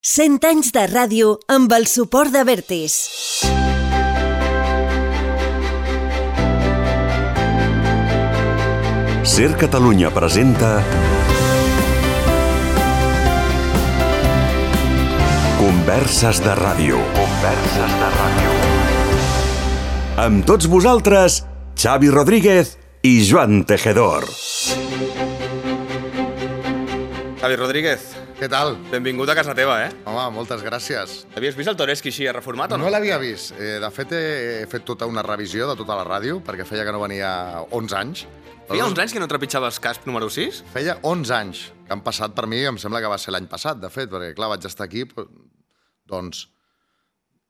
100 anys de ràdio amb el suport de Vertis. Ser Catalunya presenta Converses de ràdio. Converses de ràdio. Amb tots vosaltres, Xavi Rodríguez i Joan Tejedor. Xavi Rodríguez, Què tal? benvingut a casa teva, Home, moltes gràcies. Havies vist el Toreski així reformat o no? No l'havia vist. De fet, he fet tota una revisió de tota la ràdio, perquè feia que no venia 11 anys. Feia uns anys que no trepitjaves casp número 6? Feia 11 anys que han passat per mi, em sembla que va ser l'any passat, de fet, perquè, clar, vaig estar aquí, doncs,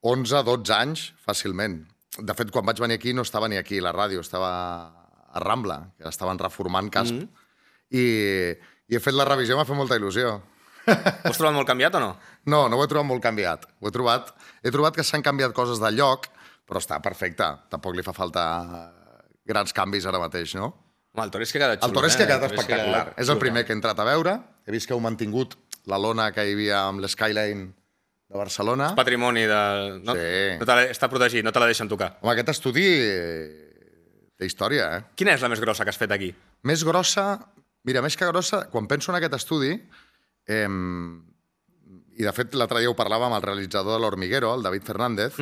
11-12 anys, fàcilment. De fet, quan vaig venir aquí no estava ni aquí, la ràdio, estava a Rambla, que estaven reformant casp. I he fet la revisió, m'ha fet molta il·lusió. Ho has trobat molt canviat o no? No ho he trobat molt canviat. He trobat que s'han canviat coses de lloc, però està perfecte. Tampoc li fa falta grans canvis ara mateix, no? Home, el Toreski ha quedat xulo, El Toreski ha quedat El Toreski espectacular. ha quedat És el xulo. primer que he entrat a veure. He vist que heu mantingut la lona que hi havia amb l'Skyline de Barcelona. Patrimoni de... No? Sí. Està protegit, no te la deixen tocar. Home, aquest estudi té història, eh? Quina és la més grossa que has fet aquí? Més grossa... Mira, més que grossa, quan penso en aquest estudi... I, de fet, l'altre dia ho parlàvem amb el realitzador de l'Hormiguero, el David Fernández.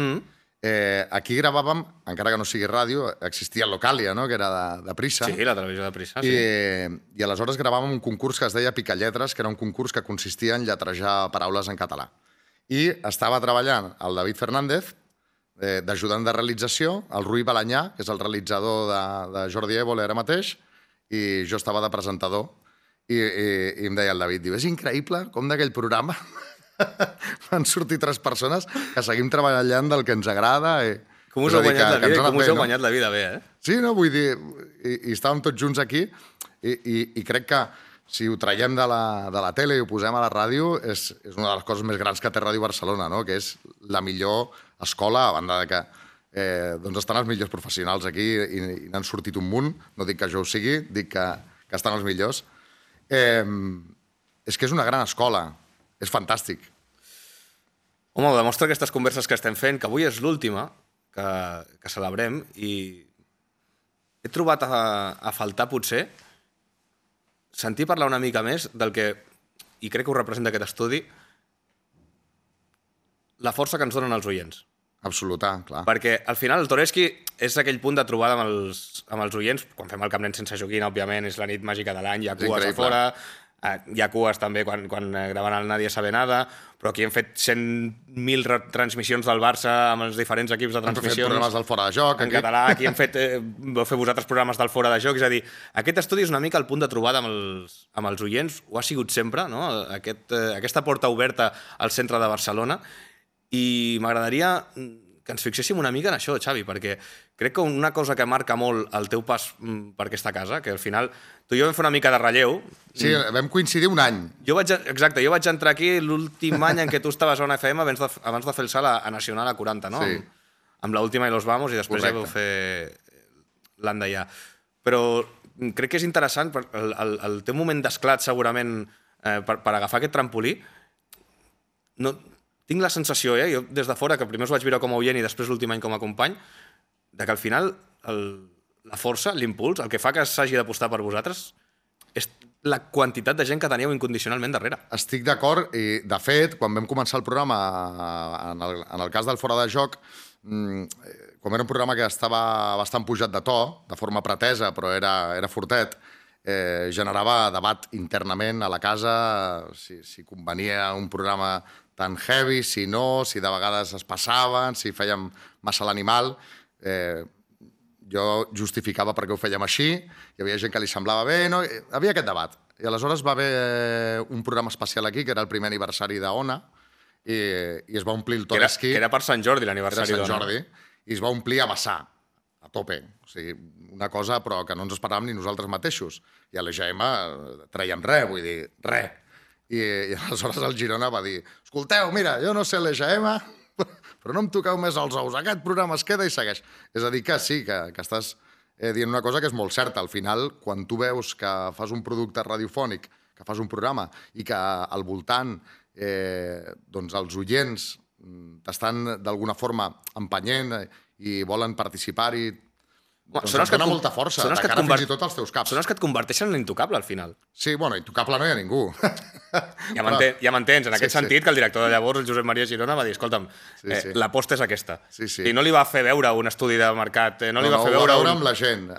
Aquí gravàvem, encara que no sigui ràdio, existia Localia, no?, que era de Prisa. Sí, la televisió de Prisa, sí. I aleshores gravàvem un concurs que es deia Picalletres, que era un concurs que consistia en lletrejar paraules en català. I estava treballant el David Fernández, d'ajudant de realització, el Rui Balanyà, que és el realitzador de Jordi Évole ara mateix, i jo estava de presentador. I em deia el David, diu, és increïble com d'aquell programa van sortir 3 persones que seguim treballant del que ens agrada. Com us heu guanyat la vida, com us heu guanyat la vida bé, Sí, no? Vull dir, i estàvem tots junts aquí i crec que si ho traiem de la tele i ho posem a la ràdio és una de les coses més grans que té Ràdio Barcelona, no? Que és la millor escola, a banda de que doncs estan els millors professionals aquí i n'han sortit un munt. No dic que jo ho sigui, dic que estan els millors. És que és una gran escola, és fantàstic. Home, ho demostra aquestes converses que estem fent, que avui és l'última que celebrem, i he trobat a faltar, potser, sentir parlar una mica més del que, i crec que ho representa aquest estudi, la força que ens donen els oients. Absoluta, clar. Perquè, al final, el Toreski és aquell punt de trobada amb els oients. Quan fem el Camp Nen sense joguina, òbviament, és la nit màgica de l'any, hi ha cues a fora, hi ha cues també quan graven el Nadie sabe nada, però aquí hem fet 100.000 retransmissions del Barça amb els diferents equips de transmissions. Hem fet programes del Fora de Joc. En català, aquí vau fer vosaltres programes del Fora de Joc. És a dir, aquest estudi és una mica el punt de trobada amb els oients, ho ha sigut sempre, no? Aquesta porta oberta al centre de Barcelona. I m'agradaria que ens fixéssim una mica en això, Xavi, perquè crec que una cosa que marca molt el teu pas per aquesta casa, que al final tu i jo vam fer una mica de relleu. Sí, vam coincidir un any. Exacte, jo vaig entrar aquí l'últim any en què tu estaves a una FM abans de fer el salt a Nacional a 40, no? Sí. Amb l'última i los vamos, i després ja vau fer l'Andaià. Però crec que és interessant, el teu moment d'esclat segurament per agafar aquest trampolí, tinc la sensació, jo des de fora, que primer us vaig veure com a oient i després l'últim any com a company, de que al final la força, l'impuls, el que fa que s'hagi d'apostar per vosaltres és la quantitat de gent que teníeu incondicionalment darrere. Estic d'acord, i de fet, quan vam començar el programa, en el cas del Fora de Joc, com era un programa que estava bastant pujat de to, de forma pretesa, però era fortet, generava debat internament a la casa, si convenia un programa tan heavy, si no, si de vegades es passaven, si fèiem massa l'animal. Jo justificava per què ho fèiem així, hi havia gent que li semblava bé, no? Hi havia aquest debat. I aleshores va haver un programa especial aquí, que era el primer aniversari d'Ona, i es va omplir el Toreski. Que era per Sant Jordi, l'aniversari d'Ona. Era Sant Jordi, i es va omplir a vessar, a tope. O sigui, una cosa però que no ens esperàvem ni nosaltres mateixos. I a l'EGM traiem res, vull dir, res. I aleshores el Girona va dir, escolteu, mira, jo no sé l'EGM, però no em toqueu més els ous, aquest programa es queda i segueix. És a dir, que sí, que estàs dient una cosa que és molt certa. Al final, quan tu veus que fas un producte radiofònic, que fas un programa i que al voltant doncs els oients t'estan d'alguna forma empenyent i volen participar-hi, doncs et dona molta força, de cara fins i tot als teus caps. Són els que et converteixen en l'intocable, al final. Sí, bueno, intocable no hi ha ningú. Ja m'entens, en aquest sentit, que el director de llavors, el Josep Maria Girona, va dir, escolta'm, l'aposta és aquesta. I no li va fer veure un estudi de mercat, no li va fer veure amb la gent.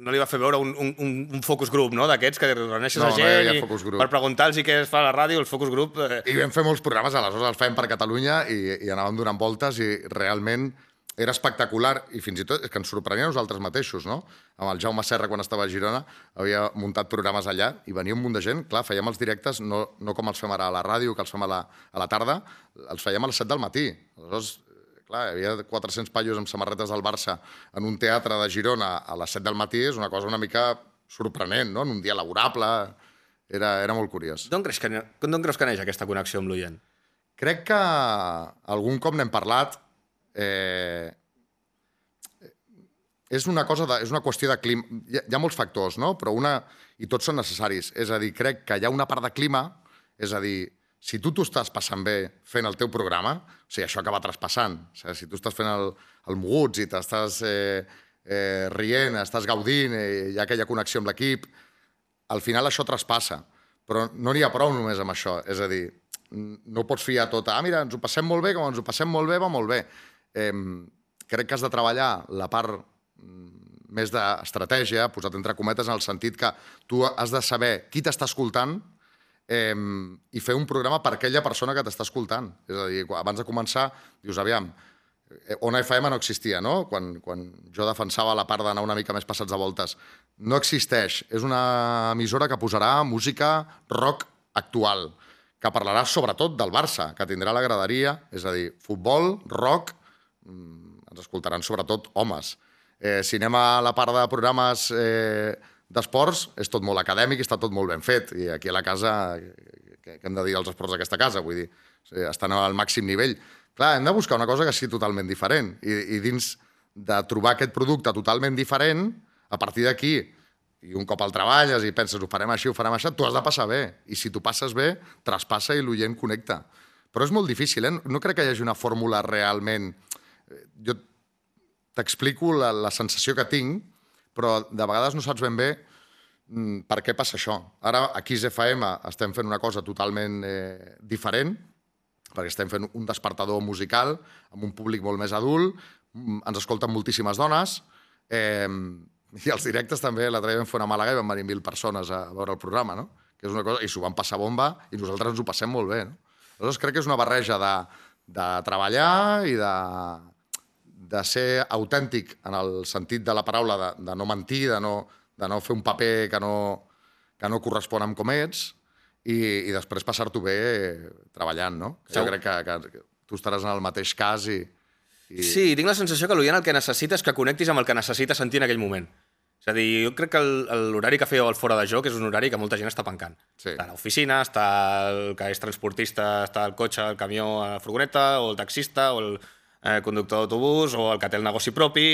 No li va fer veure un focus group, no?, d'aquests que reuneixes la gent per preguntar-los què es fa a la ràdio, el focus group... I vam fer molts programes, aleshores els fèiem per Catalunya i anàvem donant voltes i realment era espectacular i fins i tot és que ens sorprenia a nosaltres mateixos, no? Amb el Jaume Serra, quan estava a Girona, havia muntat programes allà i venia un munt de gent. Clar, fèiem els directes no com els fem ara a la ràdio, que els fem a la tarda, els fèiem a les 7 del matí. Aleshores, clar, hi havia 400 paios amb samarretes del Barça en un teatre de Girona a les 7 del matí, és una cosa una mica sorprenent, no? En un dia laborable, era molt curiós. D'on creus que neix aquesta connexió amb l'oient? Crec que algun cop n'hem parlat. És una qüestió de clima. Hi ha molts factors, no? Però i tots són necessaris. És a dir, crec que hi ha una part de clima, és a dir, si tu t'ho estàs passant bé fent el teu programa, o sigui, això acaba traspassant. O sigui, si tu estàs fent el moguts i t'estàs rient, estàs gaudint, hi ha aquella connexió amb l'equip, al final això traspassa. Però no n'hi ha prou només amb això. És a dir, no pots fiar tot mira, ens ho passem molt bé, com ens ho passem molt bé, va molt bé. Crec que has de treballar la part més d'estratègia, posat entre cometes, en el sentit que tu has de saber qui t'està escoltant i fer un programa per aquella persona que t'està escoltant. És a dir, abans de començar, dius, aviam, Ona FM no existia, no? Quan jo defensava la part d'anar una mica més passats de voltes. No existeix. És una emissora que posarà música rock actual, que parlarà sobretot del Barça, que tindrà la graderia, és a dir, futbol, rock, ens escoltaran sobretot homes. Si anem a la part de programes d'esports, és tot molt acadèmic i està tot molt ben fet. I aquí a la casa, què hem de dir als esports d'aquesta casa? Vull dir, estan al màxim nivell. Clar, hem de buscar una cosa que sigui totalment diferent. I dins de trobar aquest producte totalment diferent, a partir d'aquí, i un cop al treballes i penses ho farem així, tu has de passar bé. I si t'ho passes bé, traspassa i l'oient connecta. Però és molt difícil, No crec que hi hagi una fórmula realment... Jo t'explico la sensació que tinc, però de vegades no saps ben bé per què passa això. Ara, a Kiss FM estem fent una cosa totalment diferent, perquè estem fent un despertador musical amb un públic molt més adult, ens escolten moltíssimes dones, i els directes també, l'altre dia vam fer una Màlaga i van venir 1.000 persones a veure el programa, no? Que és una cosa, i s'ho van passar bomba i nosaltres ens ho passem molt bé, no? Aleshores crec que és una barreja de treballar i de ser autèntic en el sentit de la paraula, de no mentir, de no fer un paper que no correspon amb com ets i després passar-t'ho bé treballant, no? Jo crec que tu estaràs en el mateix cas i... Sí, tinc la sensació que l'oient el que necessita és que connectis amb el que necessita sentir en aquell moment. És a dir, jo crec que l'horari que fèieu al Fora de Joc és un horari que molta gent està pencant. Està a l'oficina, està el que és transportista, està al cotxe, el camió, a la furgoneta, o el taxista, o el conductor d'autobús, o el que té el negoci propi,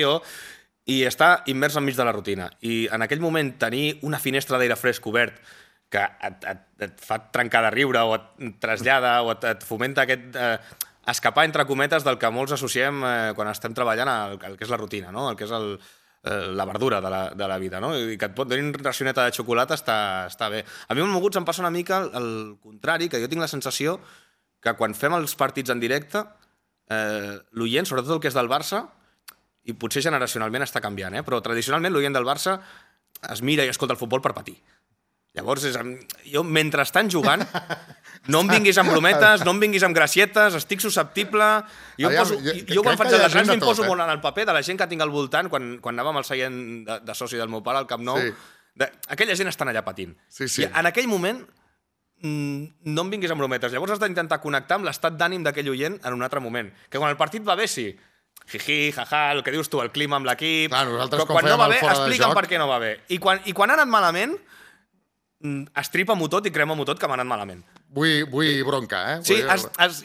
i està immers enmig de la rutina. I en aquell moment tenir una finestra d'aire fresc obert que et fa trencar de riure, o et trasllada, o et fomenta aquest... escapar, entre cometes, del que molts associem quan estem treballant el que és la rutina, no? El que és la verdura de la vida, no? I que et pot donar una racioneta de xocolata està bé. A mi amb Moguts em passa una mica el contrari, que jo tinc la sensació que quan fem els partits en directe, l'oient, sobretot el que és del Barça, i potser generacionalment està canviant, però tradicionalment l'oient del Barça es mira i escolta el futbol per patir. Llavors, jo, mentre estan jugant, no em vinguis amb brometes, no em vinguis amb gracietes, estic susceptible... Jo quan faig les grans m'imposo molt en el paper de la gent que tinc al voltant, quan anàvem al seient de soci del meu pare, al Camp Nou, aquella gent estan allà patint. I en aquell moment no em vinguis amb brometes. Llavors has d'intentar connectar amb l'estat d'ànim d'aquell oient en un altre moment. Que quan el partit va bé, sí, jiji, jaja, el que dius tu, el clima amb l'equip... Però quan no va bé, explica'm per què no va bé. I quan ha anat malament... estripa-m'ho tot i crema-m'ho tot que m'ha anat malament. Vull bronca, Sí,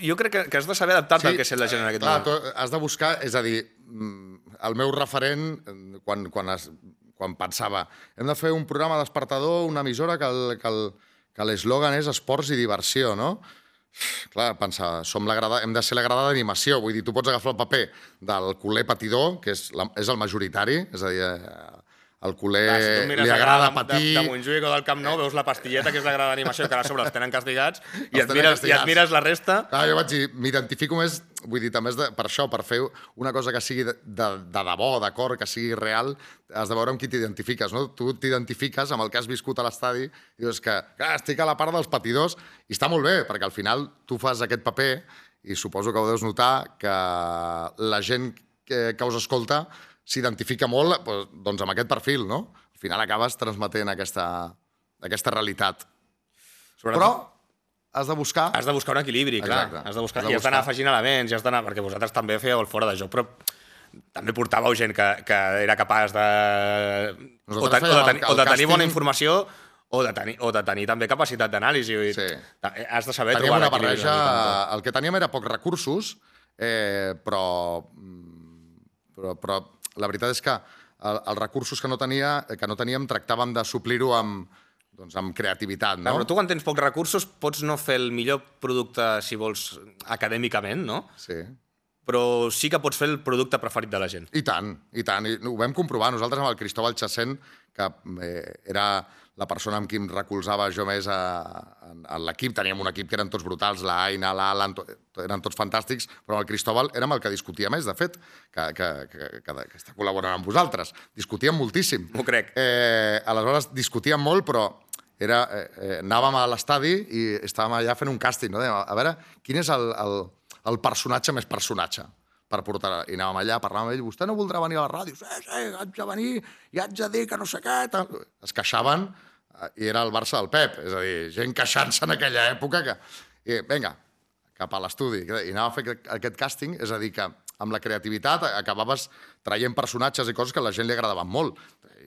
jo crec que has de saber adaptar-te al que sent la gent en aquest moment. Has de buscar, és a dir, el meu referent, quan pensava hem de fer un programa despertador, una emissora que que l'eslògan és esports i diversió, no? Clar, pensar, hem de ser la grada d'animació, vull dir, tu pots agafar el paper del culer patidor, que és el majoritari, és a dir, al culer li agrada patir... De Montjuïc o del Camp Nou veus la pastilleta, que és la grada d'animació, que ara sobre els tenen castigats, i et mires la resta... Clar, jo vaig dir, m'identifico més, vull dir, també per això, per fer una cosa que sigui de debò, d'acord, que sigui real, has de veure amb qui t'identifiques, no? Tu t'identifiques amb el que has viscut a l'estadi i dius que estic a la part dels patidors i està molt bé, perquè al final tu fas aquest paper i suposo que ho deus notar que la gent que us escolta s'identifica molt doncs, amb aquest perfil, no? Al final acabes transmetent aquesta realitat. Però has de buscar... Has de buscar un equilibri, clar. Has de buscar, i has d'anar afegint elements, perquè vosaltres també fèieu el fora de joc, però també portàveu gent que era capaç de... O de tenir bona informació o de tenir també capacitat d'anàlisi. Has de saber trobar l'equilibri. Teníem una barreja... El que teníem era pocs recursos, però la veritat és que els recursos que no teníem tractàvem de suplir-ho amb creativitat, no? Però tu, quan tens pocs recursos, pots no fer el millor producte, si vols, acadèmicament, no? Sí. Però sí que pots fer el producte preferit de la gent. I tant, i tant. I ho vam comprovar. Nosaltres amb el Cristóbal Chacén, que era la persona amb qui em recolzava jo més a l'equip, teníem un equip que eren tots brutals, la Aina, l'Alan, eren tots fantàstics, però el Cristóbal érem el que discutia més, de fet, que està col·laborant amb vosaltres. Discutíem moltíssim. M'ho crec. Aleshores, discutíem molt, però anàvem a l'estadi i estàvem allà fent un càsting, no? A veure, quin és el personatge més personatge per portar... I anàvem allà, parlàvem amb ell, vostè no voldrà venir a la ràdio? Sí, haig de venir i haig de dir que no sé què... Es queixaven i era el Barça del Pep, és a dir, gent queixant-se en aquella època que... I vinga, cap a l'estudi. I anàvem a fer aquest càsting, és a dir, que amb la creativitat acabaves traient personatges i coses que a la gent li agradaven molt.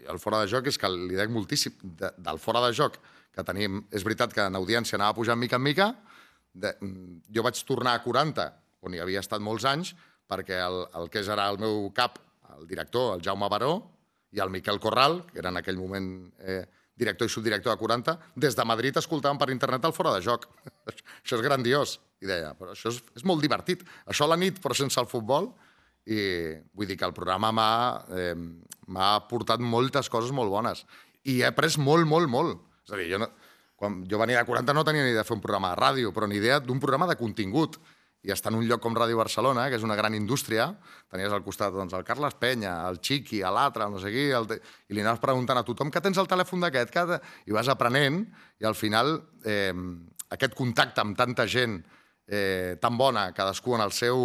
I el fora de joc és que li dec moltíssim. Del fora de joc que tenim... És veritat que en audiència anava pujant mica en mica. Jo vaig tornar a 40, on hi havia estat molts anys, perquè el que és ara el meu cap, el director, el Jaume Baró, i el Miquel Corral, que era en aquell moment director i subdirector de 40, des de Madrid escoltaven per internet el fora de joc. Això és grandiós. I deia, però això és molt divertit. Això a la nit, però sense el futbol. I vull dir que el programa m'ha portat moltes coses molt bones. I he après molt, molt, molt. És a dir, quan jo venia de 40 no tenia ni idea de fer un programa de ràdio, però ni idea d'un programa de contingut. I estar en un lloc com Ràdio Barcelona, que és una gran indústria, tenies al costat doncs, el Carles Penya, el Chiqui, l'altre, no sé qui, i li anaves preguntant a tothom que tens el telèfon d'aquest, i vas aprenent, i al final aquest contacte amb tanta gent tan bona, cadascú en el seu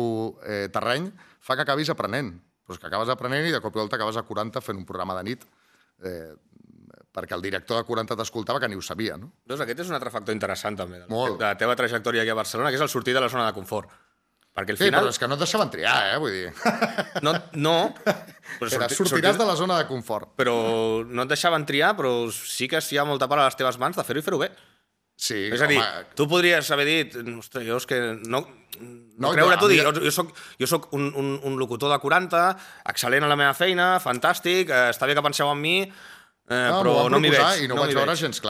terreny, fa que acabis aprenent. Però és que acabes aprenent i de cop i volta acabes a 40 fent un programa de nit, perquè el director de 40 t'escoltava que ni ho sabia, no? Doncs aquest és un altre factor interessant, també, de Molt. la teva trajectòria aquí a Barcelona, que és el sortir de la zona de confort. Perquè al Sí, final... però és que no et deixaven triar, vull dir. No. Però Sortiràs de la zona de confort. Però no et deixaven triar, però sí que hi ha molta part a les teves mans de fer-ho i fer-ho bé. Sí, És a dir, tu podries haver dit, ostres, jo és que no creure-t'ho, dir, jo soc un locutor de 40, excel·lent a la meva feina, fantàstic, està bé que penseu en mi, però no m'hi veig. I no ho vaig veure gens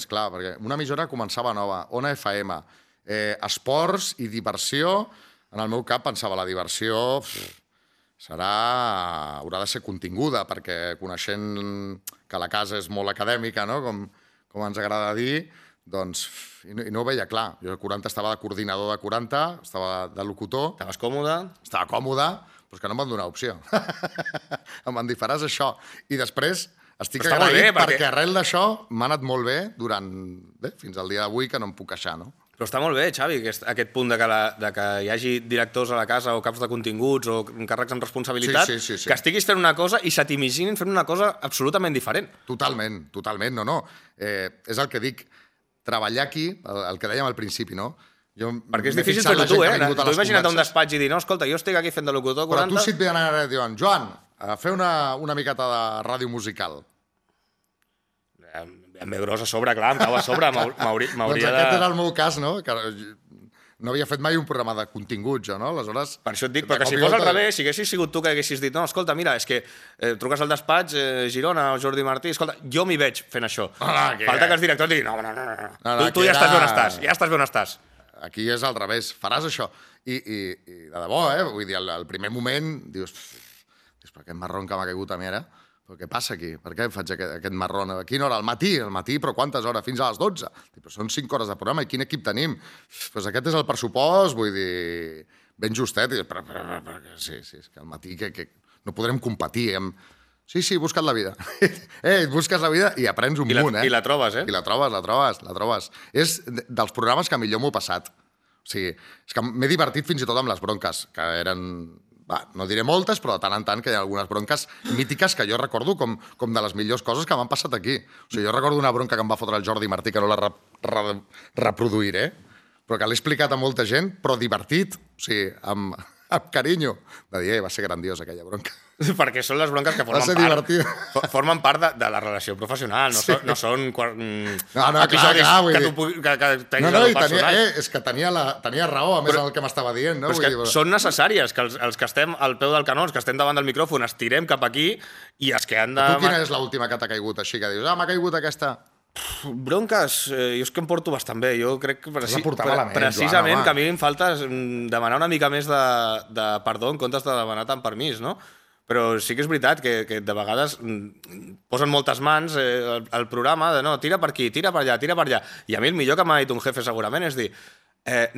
clar, perquè una emissora començava nova, Ona FM, esports i diversió. En el meu cap pensava, la diversió haurà de ser continguda, perquè coneixent que la casa és molt acadèmica, no? Com ens agrada dir, doncs, i no ho veia clar. Jo a 40 estava de coordinador de 40, estava de locutor. Estaves còmode? Estava còmode, però és que no em van donar opció. Em van dir, faràs això. I després estic Però està molt agraït bé, perquè arrel d'això m'ha anat molt bé fins al dia d'avui, que no em puc queixar, no? Però està molt bé, Xavi, aquest punt de que hi hagi directors a la casa o caps de continguts o càrrecs amb responsabilitat, sí. que estiguis fent una cosa i se t'imaginin fent una cosa absolutament diferent. Totalment, no. És el que dic, treballar aquí, el que dèiem al principi, no? Perquè és difícil fer-ho tu, Tu imagina't un despatx i dir, no, escolta, jo estic aquí fent de locutor 40... Però tu si et veien ara i diuen, Joan, a fer una miqueta de ràdio musical. Em ve gros a sobre, clar, em cau a sobre, m'hauria Doncs aquest era el meu cas, no? no havia fet mai un programa de contingut, jo, no? Aleshores... Per això et dic, però que si fos al revés, si haguessis sigut tu que haguessis dit no, escolta, mira, és que truques al despatx, Girona o Jordi Martí, escolta, jo m'hi veig fent això. Falta que els directors diguin, no, tu ja estàs bé on estàs, ja estàs bé on estàs. Aquí és al revés, faràs això. I de debò, vull dir, al primer moment dius, però aquest marron que m'ha caigut a mi ara, però què passa aquí? Per què faig aquest marron? A quina hora? Al matí, però quantes hores? Fins a les 12. Però són 5 hores de programa, i quin equip tenim? Doncs aquest és el pressupost, vull dir, ben justet. Però sí, és que al matí que no podrem competir amb... Sí, he buscat la vida. Busques la vida i aprens un munt, I la trobes, I la trobes. És dels programes que millor m'ho he passat. O sigui, és que m'he divertit fins i tot amb les bronques, que eren... no diré moltes, però de tant en tant que hi ha algunes bronques mítiques que jo recordo com de les millors coses que m'han passat aquí. O sigui, jo recordo una bronca que em va fotre el Jordi Martí, que no la reproduiré, però que l'he explicat a molta gent, però divertit, o sigui, amb carinyo, de dir, va ser grandiosa aquella bronca. Perquè són les bronques que formen part de la relació professional, no són episodis que tenguis el personal. És que tenia raó, a més, en el que m'estava dient. Però són necessàries, que els que estem al peu del canó, els que estem davant del micròfon, estirem cap aquí i els que han de... Tu quina és l'última que t'ha caigut així, que dius, m'ha caigut aquesta... Bronques, jo és que em porto bastant bé. Jo crec que precisament que a mi em falta demanar una mica més de perdó en comptes de demanar tant permís, no? Però sí que és veritat que de vegades posen moltes mans al programa de no, tira per aquí, tira per allà, tira per allà. I a mi el millor que m'ha dit un jefe segurament és dir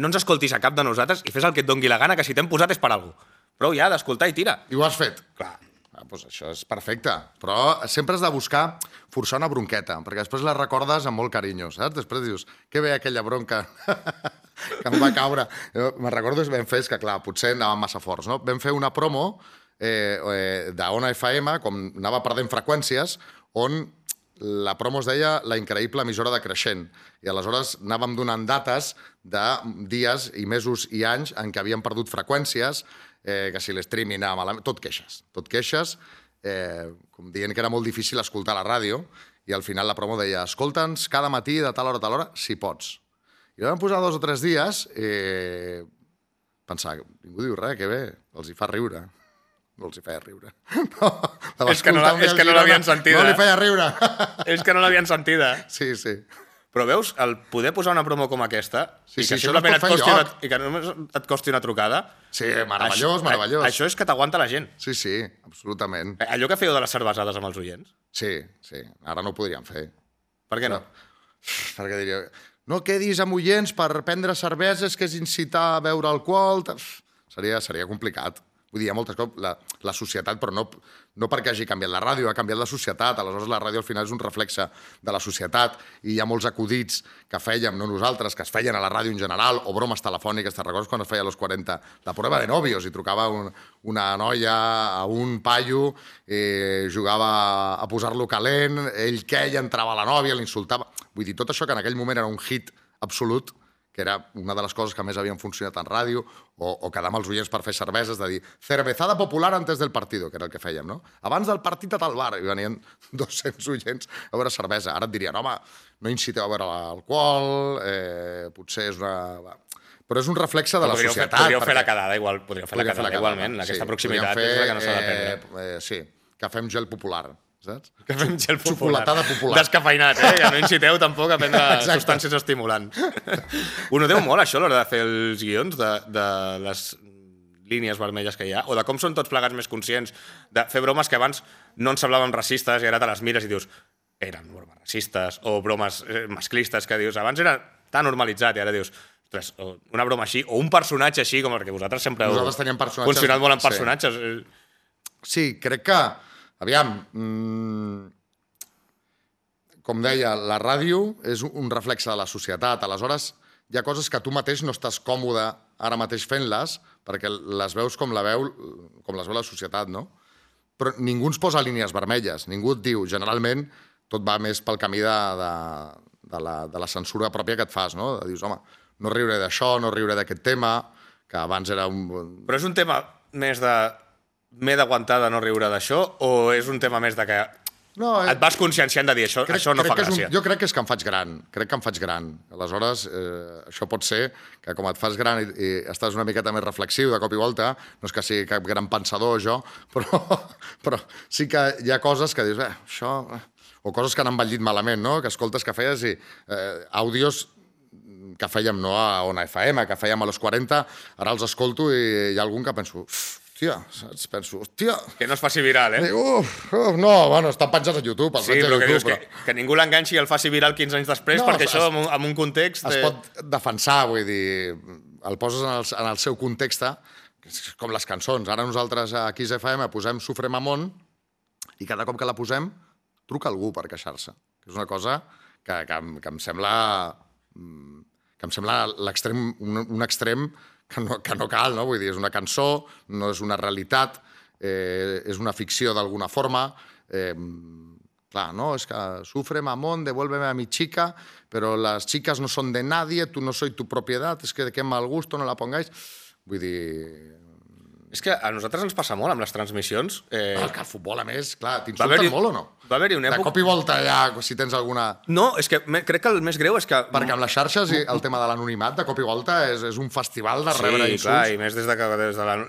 no ens escoltis a cap de nosaltres i fes el que et doni la gana, que si t'hem posat és per alguna cosa. Prou ja d'escoltar i tira. I ho has fet? Clar. Doncs això és perfecte. Però sempre has de buscar forçar una bronqueta, perquè després la recordes amb molt carinyo, saps? Després dius, que bé aquella bronca que em va caure. Me'n recordo que vam fer, que clar, potser anàvem massa forts, no? Vam fer una promo d'Ona FM, com anava perdent freqüències, on la promo es deia La increïble emissora de Creixent. I aleshores anàvem donant dates de dies i mesos i anys en què havíem perdut freqüències, que si l'streaming anava malament... Tot queixes, com dient que era molt difícil escoltar la ràdio, i al final la promo deia escolta'ns cada matí de tal hora a tal hora, si pots. I vam posar 2 o 3 dies i pensar, ningú diu res, que bé, els hi fa riure. No els hi feia riure. És que no l'havien sentida. No li feia riure. És que no l'havien sentida. Sí. Però veus, el poder posar una promo com aquesta i que simplement només et costi una trucada... Sí, meravellós. Això és que t'aguanta la gent. Sí, absolutament. Allò que fèieu de les cervesades amb els oients? Sí. Ara no ho podríem fer. Per què no? Perquè diria... No quedis amb oients per prendre cerveses, que és incitar a beure alcohol... Seria complicat. Vull dir, hi ha moltes coses, la societat, però no perquè hagi canviat la ràdio, ha canviat la societat, aleshores la ràdio al final és un reflexe de la societat i hi ha molts acudits que fèiem, no nosaltres, que es feien a la ràdio en general, o bromes telefòniques, te'n recordes quan es feia a los 40 la prueba de novios i trucava una noia a un paio, jugava a posar-lo calent, ell queia, entrava a la nòvia, l'insultava... Vull dir, tot això que en aquell moment era un hit absolut, que era una de les coses que més havien funcionat en ràdio, o quedar amb els oients per fer cerveses, de dir cervezada popular antes del partido, que era el que fèiem, no? Abans del partit a tal bar, i venien 200 oients a veure cervesa. Ara et dirien, home, no inciteu a veure l'alcohol, potser és una... Però és un reflexe de la societat. Podríeu fer la quedada igualment. Aquesta proximitat és la que no s'ha de perdre. Sí, que fem gel popular, saps? Que fem gel popular. Xocolatada popular. Descafeinat, ja no inciteu tampoc a prendre substàncies estimulants. Ho noteu molt, això, a l'hora de fer els guions, de les línies vermelles que hi ha, o de com són tots plegats més conscients de fer bromes que abans no ens semblaven racistes i ara te les mires i dius eren bromes racistes, o bromes masclistes que dius, abans era tan normalitzat i ara dius, ostres, una broma així, o un personatge així, com perquè vosaltres sempre heu funcionat molt en personatges. Sí, crec que aviam, com deia, la ràdio és un reflexe de la societat. Aleshores, hi ha coses que tu mateix no estàs còmode ara mateix fent-les, perquè les veus com les veu la societat, no? Però ningú ens posa línies vermelles. Ningú et diu, generalment, tot va més pel camí de la censura pròpia que et fas, no? Dius, home, no riuré d'això, no riuré d'aquest tema, que abans era un... Però és un tema més de... m'he d'aguantar de no riure d'això, o és un tema més de que et vas conscienciant de dir això no fa gràcia. Jo crec que és que em faig gran. Crec que em faig gran. Aleshores, això pot ser que com et fas gran i estàs una miqueta més reflexiu de cop i volta, no és que sigui cap gran pensador, jo, però sí que hi ha coses que dius, això... O coses que han envellit malament, no? Que escoltes que feies i àudios que fèiem no a Ona FM, que fèiem a los 40, ara els escolto i hi ha algun que penso, hòstia, saps? Penso, hòstia... Que no es faci viral, eh? No, bueno, estan penjats a YouTube, sí, però que dius que ningú l'enganxi i el faci viral 15 anys després, perquè això en un context... Es pot defensar, vull dir, el poses en el seu context, com les cançons. Ara nosaltres a Kiss FM posem Sufre Mamón i cada cop que la posem truca algú per queixar-se. És una cosa que em sembla un extrem que no cal, no? Vull dir, és una cançó, no és una realitat, és una ficció d'alguna forma. Clar, no? És que sufre mamón, devuélveme a mi chica, però les chicas no son de nadie, tú no soy tu propiedad, es que de qué mal gusto no la pongáis. Vull dir... És que a nosaltres ens passa molt amb les transmissions. Que el futbol, a més, clar, t'insulten molt o no? Va haver-hi una època... De cop i volta ja, si tens alguna... No, és que crec que el més greu és que... Perquè amb les xarxes el tema de l'anonimat, de cop i volta, és un festival de rebre insults. Sí, clar, i més des de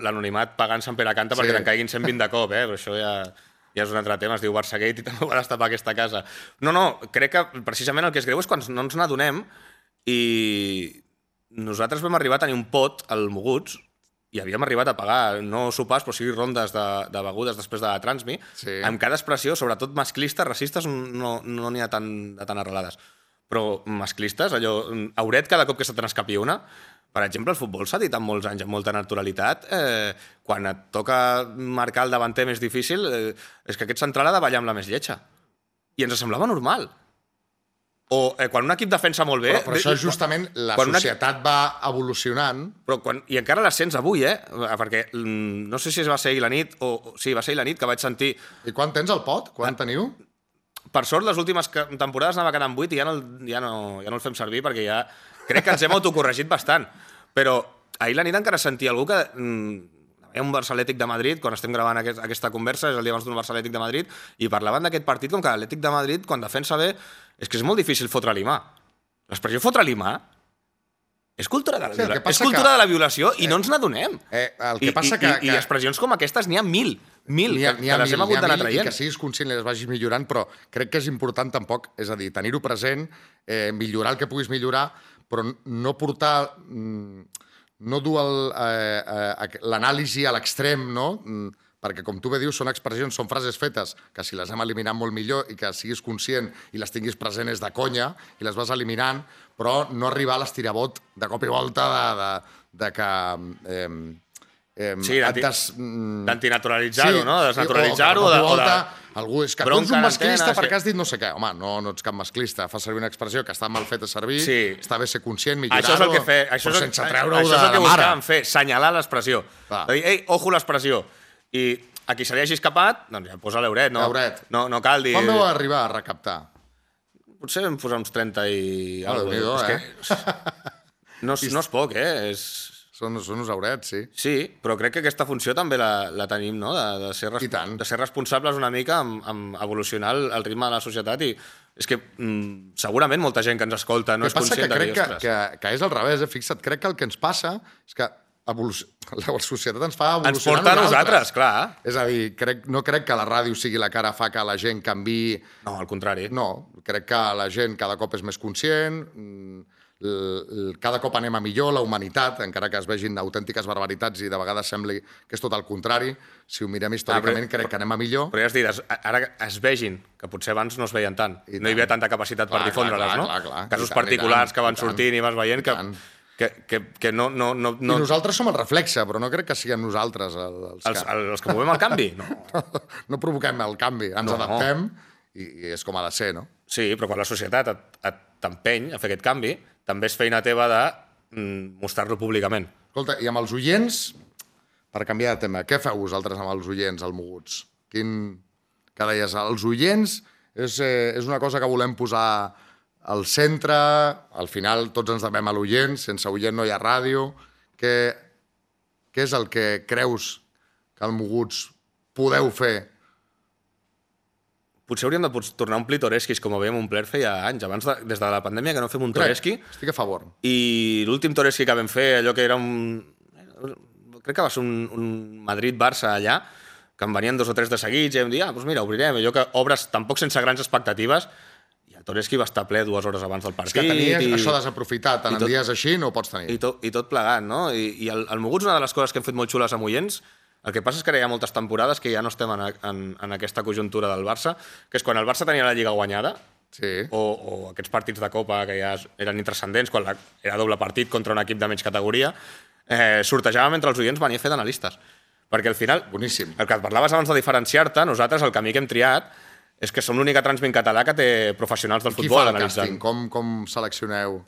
l'anonimat pagant Sant Pere Canta perquè te'n caiguin 120 de cop, però això ja és un altre tema, es diu Barçagate i també ho va destapar aquesta casa. No, crec que precisament el que és greu és quan no ens n'adonem i nosaltres vam arribar a tenir un pot al Moguts i havíem arribat a pagar, no sopars, però sí rondes de begudes després de la Transmi, amb cada expressió, sobretot masclistes, racistes, no n'hi ha tan arrelades. Però masclistes, allò, Auret cada cop que se te n'escapi una, per exemple, el futbol s'ha dit en molts anys, amb molta naturalitat, quan et toca marcar el davanter més difícil, és que aquest central ha de ballar amb la més lletja. I ens semblava normal. O quan un equip defensa molt bé... Però això justament la societat va evolucionant. I encara la sents avui, perquè no sé si va ser ahir la nit, sí, va ser ahir la nit que vaig sentir... I quan tens el pot? Quan teniu? Per sort, les últimes temporades anava quedant 8 i ja no el fem servir perquè ja crec que ens hem autocorregit bastant. Però ahir la nit encara sentia algú que... Hi ha un Barça Atlètic de Madrid, quan estem gravant aquesta conversa, és el dia abans d'un Barça Atlètic de Madrid, i parlaven d'aquest partit com que l'Atlètic de Madrid, quan defensa bé, és que és molt difícil fotre-li mà. L'expressió fotre-li mà és cultura de la violació i no ens n'adonem. I expressions com aquestes n'hi ha mil, que les hem hagut d'anar traient. I que siguis conscient i les vagis millorant, però crec que és important tampoc, és a dir, tenir-ho present, millorar el que puguis millorar, però no portar... no dur l'anàlisi a l'extrem, no? Perquè, com tu bé dius, són expressions, són frases fetes que si les hem eliminat molt millor i que siguis conscient i les tinguis present és de conya i les vas eliminant, però no arribar a l'estirabot de cop i volta de que... Sí, d'antinaturalitzar-ho, no? Desnaturalitzar-ho. Algú és que tu ets un masclista perquè has dit no sé què. Home, no ets cap masclista. Fas servir una expressió que està mal feta servir, està bé ser conscient, millorar-ho, però sense treure-ho de mare. Això és el que buscàvem fer, senyalar l'expressió. De dir, ei, ojo l'expressió. I a qui se li hagi escapat, doncs ja posa l'Euret, no cal dir... Quan vau arribar a recaptar? Potser vam posar uns 30 i... No és poc, Són uns aurets, sí. Sí, però crec que aquesta funció també la tenim, no? De ser responsables una mica amb evolucionar el ritme de la societat i és que segurament molta gent que ens escolta no és conscient de dir, ostres. Que és al revés, fixa't, crec que el que ens passa és que la societat ens fa evolucionar ens porta a nosaltres, clar. És a dir, no crec que la ràdio sigui la cara fa que la gent canviï... No, al contrari. No, crec que la gent cada cop és més conscient, cada cop anem a millor, la humanitat, encara que es vegin autèntiques barbaritats i de vegades sembli que és tot el contrari, si ho mirem històricament crec que anem a millor. Però ja has dit, ara es vegin, que potser abans no es veien tant, no hi havia tanta capacitat per difondre-les, no? Casos particulars que van sortint i vas veient que no... I nosaltres som el reflexe, però no crec que siguem nosaltres els que movem el canvi. No provoquem el canvi, ens adaptem i és com ha de ser, no? Sí, però quan la societat t'empeny a fer aquest canvi, també és feina teva de mostrar-lo públicament. Escolta, i amb els oients, per canviar de tema, què feu vosaltres amb els oients, al Moguts? Que deies, els oients és una cosa que volem posar al centre, al final tots ens devem a l'oient, sense oient no hi ha ràdio. Què és el que creus que al Moguts podeu fer potser hauríem de tornar a omplir Toreskis, com ho veiem omplir feia anys. Abans, des de la pandèmia, que no fem un Toreski. Estic a favor. I l'últim Toreski que vam fer, allò que era crec que va ser un Madrid-Barça allà, que em venien 2 o 3 de seguits, i vam dir, doncs mira, obrirem. Allò que obres tampoc sense grans expectatives, i el Toreski va estar ple 2 hores abans del partit. És que tenies això desaprofitat, en dies així no ho pots tenir. I tot plegat, no? I el Moguts, una de les coses que hem fet molt xules amb oients, el que passa és que ara hi ha moltes temporades que ja no estem en aquesta conjuntura del Barça, que és quan el Barça tenia la Lliga guanyada, o aquests partits de Copa que ja eren intrascendents, quan era doble partit contra un equip de menys categoria, sortejàvem entre els oients venir a fer d'analistes. Perquè al final, boníssim. El que et parlaves abans de diferenciar-te, nosaltres el camí que hem triat és que som l'única transmint català que té professionals del futbol analitzant. Qui fa el càsting? Com seleccioneu?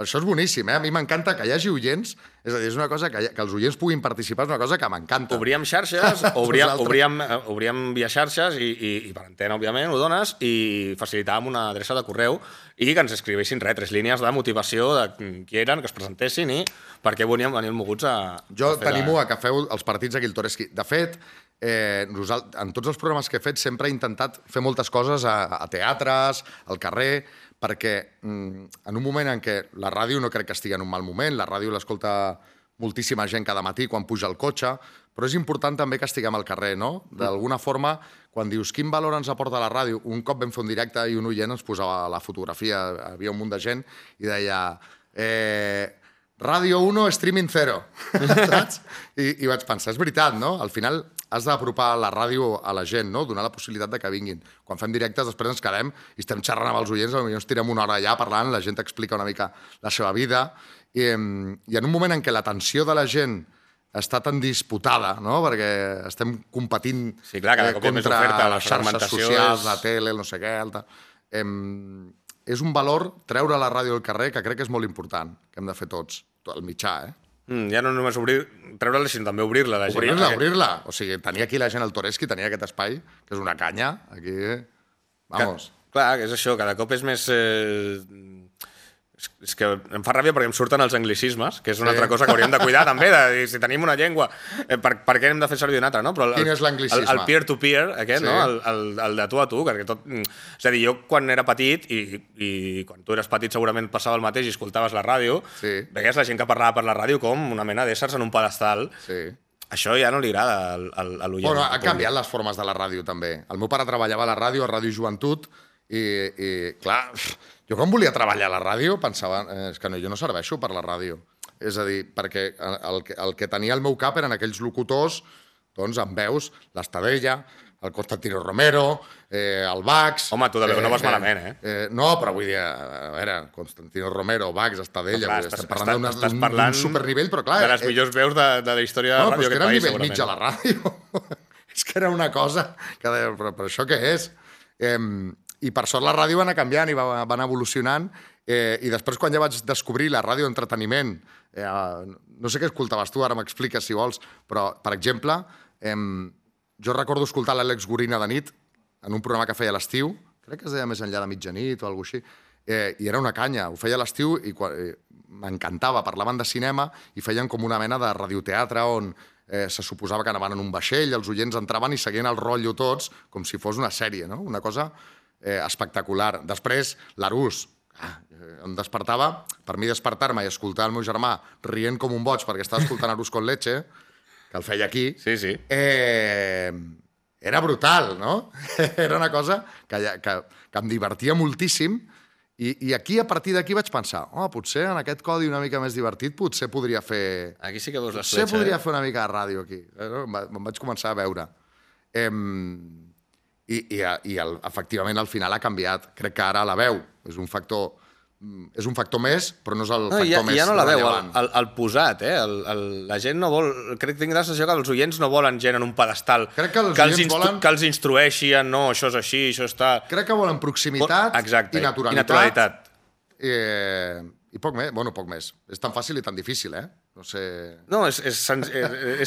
Això és boníssim, A mi m'encanta que hi hagi oients, és a dir, és una cosa que els oients puguin participar, és una cosa que m'encanta. Obríem xarxes, obríem via xarxes i per antena, òbviament, ho dones, i facilitàvem una adreça de correu i que ens escrivessin 3 línies de motivació de qui eren, que es presentessin i per què volíem venir moguts a... Jo t'animo a que feu els partits aquí al Toreski. De fet, en tots els programes que he fet sempre he intentat fer moltes coses a teatres, al carrer, perquè en un moment en què la ràdio no crec que estigui en un mal moment, la ràdio l'escolta moltíssima gent cada matí quan puja al cotxe, però és important també que estiguem al carrer, no? D'alguna forma, quan dius quin valor ens aporta la ràdio, un cop vam fer un directe i un oient ens posava la fotografia, havia un munt de gent, i deia Ràdio 1, streaming 0, saps? I vaig pensar, és veritat, no? Al final has d'apropar la ràdio a la gent, no? Donar la possibilitat de que vinguin. Quan fem directes, després ens quedem i estem xerrant amb els oients, potser ens tirem una hora allà parlant, la gent explica una mica la seva vida, i en un moment en què l'atenció de la gent està tan disputada, no? Perquè estem competint contra les xarxes socials, la tele, el no sé què, és un valor treure la ràdio al carrer que crec que és molt important, que hem de fer tots, el mitjà, Ja no només treure-la, sinó també obrir-la a la gent. Obrir-la. O sigui, tenir aquí la gent al Toreski, tenir aquest espai, que és una canya, aquí... Vamos. Clar, és això, cada cop és més... És que em fa ràbia perquè em surten els anglicismes, que és una altra cosa que hauríem de cuidar també, de dir, si tenim una llengua, per què hem de fer servir una altra, no? Però quin és l'anglicisme? El peer-to-peer, aquest, no? El de tu a tu, perquè tot... És a dir, jo quan era petit, i quan tu eres petit segurament passava el mateix i escoltaves la ràdio, veies la gent que parlava per la ràdio com una mena d'éssers en un pedestal. Això ja no li agrada a l'oient. Bueno, han canviat les formes de la ràdio, també. El meu pare treballava a la ràdio, a Ràdio Joventut, i clar... Jo quan volia treballar a la ràdio pensava és que jo no serveixo per la ràdio. És a dir, perquè el que tenia al meu cap eren aquells locutors, doncs, amb veus, l'Estadella, el Constantino Romero, el Bax... Home, tu de veu no vas malament, No, però vull dir, a veure, Constantino Romero, Bax, Estadella... Estem parlant d'un supernivell, però clar... De les millors veus de la història de la ràdio d'aquest país, segurament. No, però és que era el nivell mig a la ràdio. És que era una cosa... Però això què és? I per sort la ràdio va anar canviant i va anar evolucionant, i després quan ja vaig descobrir la ràdio d'entreteniment, no sé què escoltaves tu, ara m'expliques si vols, però, per exemple, jo recordo escoltar l'Àlex Gorina de nit en un programa que feia a l'estiu, crec que es deia Més enllà de mitjanit o alguna cosa així, i era una canya, ho feia a l'estiu i m'encantava, parlaven de cinema i feien com una mena de radioteatre on se suposava que anaven en un vaixell, els oients entraven i seguien el rotllo tots com si fos una sèrie, no? Una cosa espectacular. Després, l'Arús, em despertava, per mi despertar-me i escoltar el meu germà rient com un boig perquè estava escoltant Arús con leche, que el feia aquí, era brutal, no? Era una cosa que em divertia moltíssim i aquí, a partir d'aquí, vaig pensar potser en aquest codi una mica més divertit potser podria fer... Aquí sí que veus l'escletxa, potser podria fer una mica de ràdio aquí. Me'n vaig començar a veure. I efectivament al final ha canviat. Crec que ara la veu és un factor més, però no és el factor més rellevant. Ja no la veu, el posat, la gent no vol... Crec que tinc la sensació que els oients no volen gent en un pedestal que els instrueixi en no, això és així, això està... Crec que volen proximitat i naturalitat. I poc més, poc més. És tan fàcil i tan difícil, No sé... No, és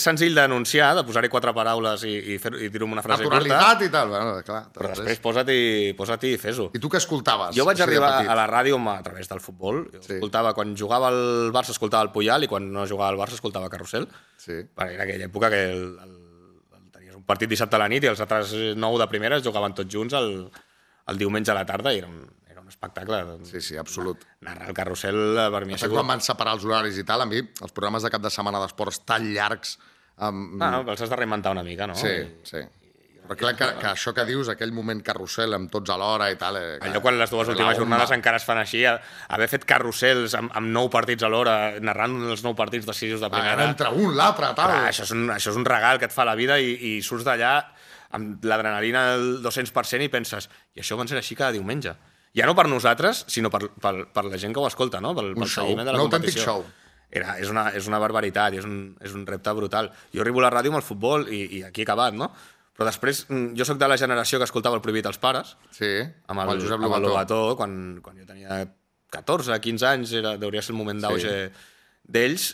senzill d'anunciar, de posar-hi 4 paraules i dir-ho amb una frase curta. Naturalitat i tal, bueno, clar. Però després posa't i fes-ho. I tu què escoltaves? Jo vaig arribar a la ràdio a través del futbol. Escoltava, quan jugava el Barça, escoltava el Puyal, i quan no jugava el Barça, escoltava Carrusel. Perquè era aquella època que tenies un un partit dissabte a la nit i els altres 9 de primera es jugaven tots junts el diumenge a la tarda i era un espectacle. Sí, absolut. Narrar el carrusel per mi ha Quan sigut... van separar els horaris i tal, a mi, els programes de cap de setmana d'esports tan llargs... Els has de reinventar una mica, no? Sí. Però clar que això que dius, aquell moment carrusel amb tots alhora i tal... Allò quan les dues últimes jornades encara es fan així, haver fet carrusels amb 9 partits a l'hora, narrant els 9 partits decisius de primera... Entre un, l'altre, tal... Això és un regal que et fa la vida i surts d'allà amb l'adrenalina al 200% i penses, i això va ser així cada diumenge. Ja no per nosaltres, sinó per la gent que ho escolta, no? Pel seguiment de la competició. Un autèntic show. És una barbaritat, és un repte brutal. Jo arribo a la ràdio amb el futbol i aquí he acabat, no? Però després, jo sóc de la generació que escoltava El prohibit als pares, amb el Josep Lobató, quan jo tenia 14, 15 anys, hauria ser el moment d'auge d'ells,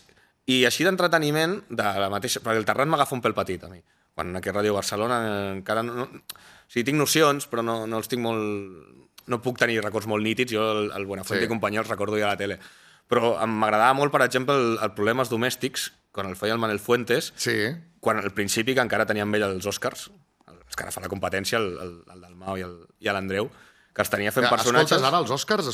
i així d'entreteniment, perquè el Terrat m'agafa un pèl petit, a mi. Quan aquí a Ràdio Barcelona encara no... O sigui, tinc nocions, però no els tinc molt... No puc tenir records molt nítids, jo el Buenafuente i companyia els recordo ja a la tele. Però m'agradava molt, per exemple, el Problemes domèstics, quan el feia el Manel Fuentes, quan al principi, que encara tenia amb ell els Oscars, els que ara fa la competència, el Dalmau i l'Andreu, que els tenia fent personatges... Escoltes ara els Oscars?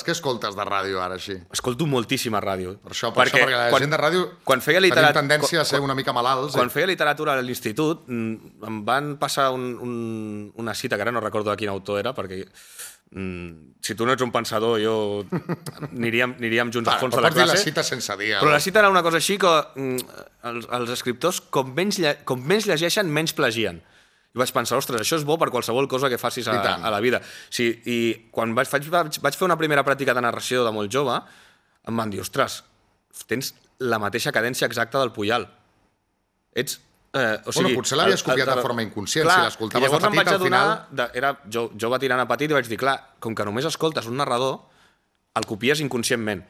Què escoltes de ràdio ara, així? Escolto moltíssima ràdio. Per això, perquè la gent de ràdio tenim tendència a ser una mica malalts. Quan feia literatura a l'institut, em van passar una cita, que ara no recordo de quin autor era, perquè si tu no ets un pensador, jo aniríem junts al fons de la classe. Pots dir la cita sense dir. Però la cita era una cosa així que els escriptors, com menys llegeixen, menys plagien. I vaig pensar, ostres, això és bo per qualsevol cosa que facis a la vida. Sí, i quan vaig fer una primera pràctica de narració de molt jove, em van dir, ostres, tens la mateixa cadència exacta del Puyal. Potser l'havies copiat de forma inconscient, si l'escoltaves de petit, al final... Jo va tirant a petit i vaig dir, clar, com que només escoltes un narrador, el copies inconscientment.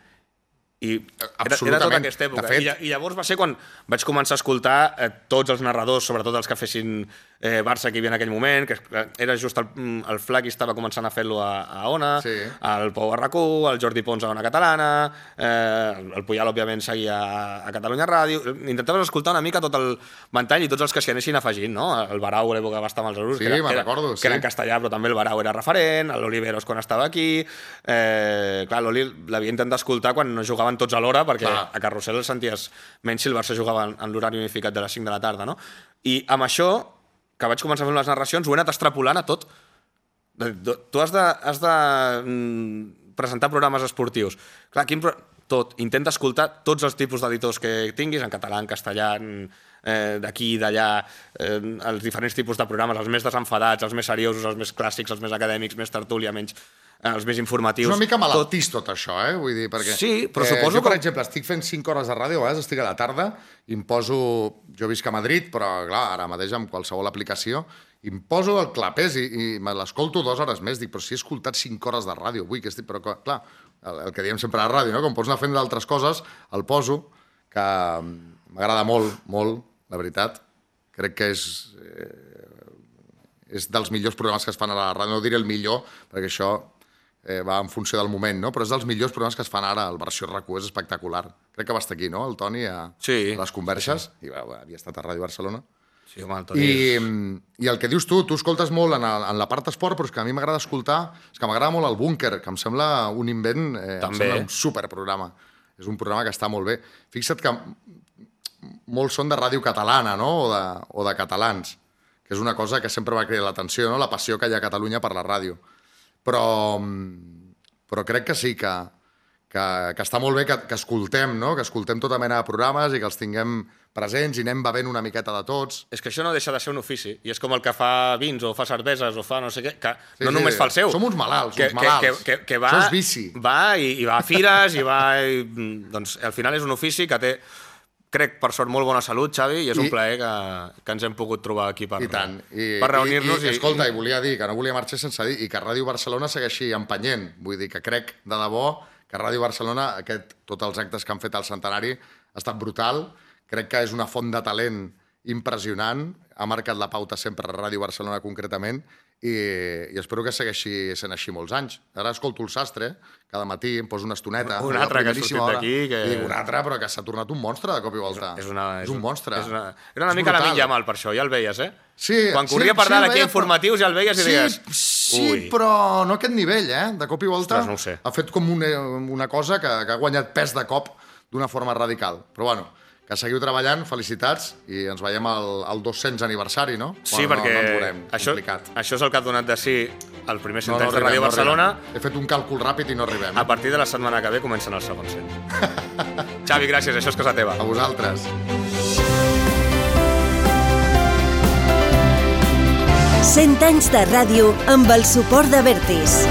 I era tota aquesta època. I llavors va ser quan vaig començar a escoltar tots els narradors, sobretot els que fessin Barça que hi havia en aquell moment, que era just el Flac i estava començant a fer-lo a Ona, el Pau Barracú, el Jordi Pons a Ona Catalana, el Puyal, òbviament, seguia a Catalunya Ràdio. Intentaves escoltar una mica tot el ventall i tots els que s'hi anessin afegint, no? El Barau, a l'època va estar amb els Arús, que era en castellà, però també el Barau era referent, l'Oliveros quan estava aquí... Clar, l'Oli l'havia intentat escoltar quan no jugaven tots alhora, perquè a Carrusel el senties menys si el Barça jugava en l'horari unificat de les 5 de la tarda, no? I amb això, que vaig començar a fer les narracions, ho he anat extrapolant a tot. Tu has de presentar programes esportius. Clar, tot. Intenta escoltar tots els tipus d'editors que tinguis, en català, en castellà, d'aquí i d'allà, els diferents tipus de programes, els més desenfadats, els més seriosos, els més clàssics, els més acadèmics, més tertúlia, menys... els més informatius... És una mica malaltís tot això, vull dir, perquè... Sí, però suposo que... Jo, per exemple, estic fent 5 hores de ràdio, a vegades estic a la tarda, i em poso... Jo visc a Madrid, però, clar, ara mateix amb qualsevol aplicació, i em poso el clapés i me l'escolto 2 hores més. Dic, però si he escoltat 5 hores de ràdio avui, que estic... Però, clar, el que diem sempre a la ràdio, no? Com pots anar fent d'altres coses, el poso, que m'agrada molt, molt, la veritat. Crec que és dels millors programes que es fan a la ràdio. No diré el millor, perquè això... va en funció del moment, no? Però és dels millors programes que es fan ara, el versió RAC1 és espectacular. Crec que va estar aquí, no?, el Toni, a les converses, i havia estat a Ràdio Barcelona. Sí, home, el Toni I el que dius tu escoltes molt en la part esport, però és que a mi m'agrada escoltar, és que m'agrada molt el Búnquer, que em sembla un invent, em sembla un superprograma. És un programa que està molt bé. Fixa't que molts són de ràdio catalana, no?, o de catalans, que és una cosa que sempre va cridar l'atenció, no?, la passió que hi ha a Catalunya per la ràdio. Però crec que sí, que està molt bé que escoltem, no? Que escoltem tota mena de programes i que els tinguem presents i anem bevent una miqueta de tots. És que això no deixa de ser un ofici, i és com el que fa vins o fa cerveses o fa no sé què, que no només fa el seu. Som uns malalts, que va, això és vici. Va i va a fires i va... Doncs al final és un ofici que té... Crec, per sort, molt bona salut, Xavi, i és un plaer que ens hem pogut trobar aquí per reunir-nos. Escolta, i volia dir que no volia marxar sense dir, i que Ràdio Barcelona segueixi empenyent. Vull dir que crec, de debò, que Ràdio Barcelona, tots els actes que han fet al centenari, ha estat brutal. Crec que és una font de talent impressionant, ha marcat la pauta sempre a Ràdio Barcelona concretament, i espero que segueixi sent així molts anys. Ara escolto el Sastre, cada matí em poso una estoneta. Un altre que ha sortit d'aquí. I dic, un altre, però que s'ha tornat un monstre de cop i volta. És un monstre. Era una mica la Lamine Yamal, per això, ja el veies, eh? Sí, quan corria per dalt aquí a informatius ja el veies i deies... Sí, però no a aquest nivell, eh? De cop i volta no ho sé. Ha fet com una cosa que ha guanyat pes de cop d'una forma radical. Però bueno, que seguiu treballant, felicitats, i ens veiem al 200 aniversari, no? Sí, perquè no ens veurem, això és el que ha donat de si el primer 100 anys de Ràdio Barcelona. He fet un càlcul ràpid i no arribem. A partir de la setmana que ve comencen el segon 100. Xavi, gràcies, això és casa teva. A vosaltres. 100 anys de ràdio amb el suport d'Abertis.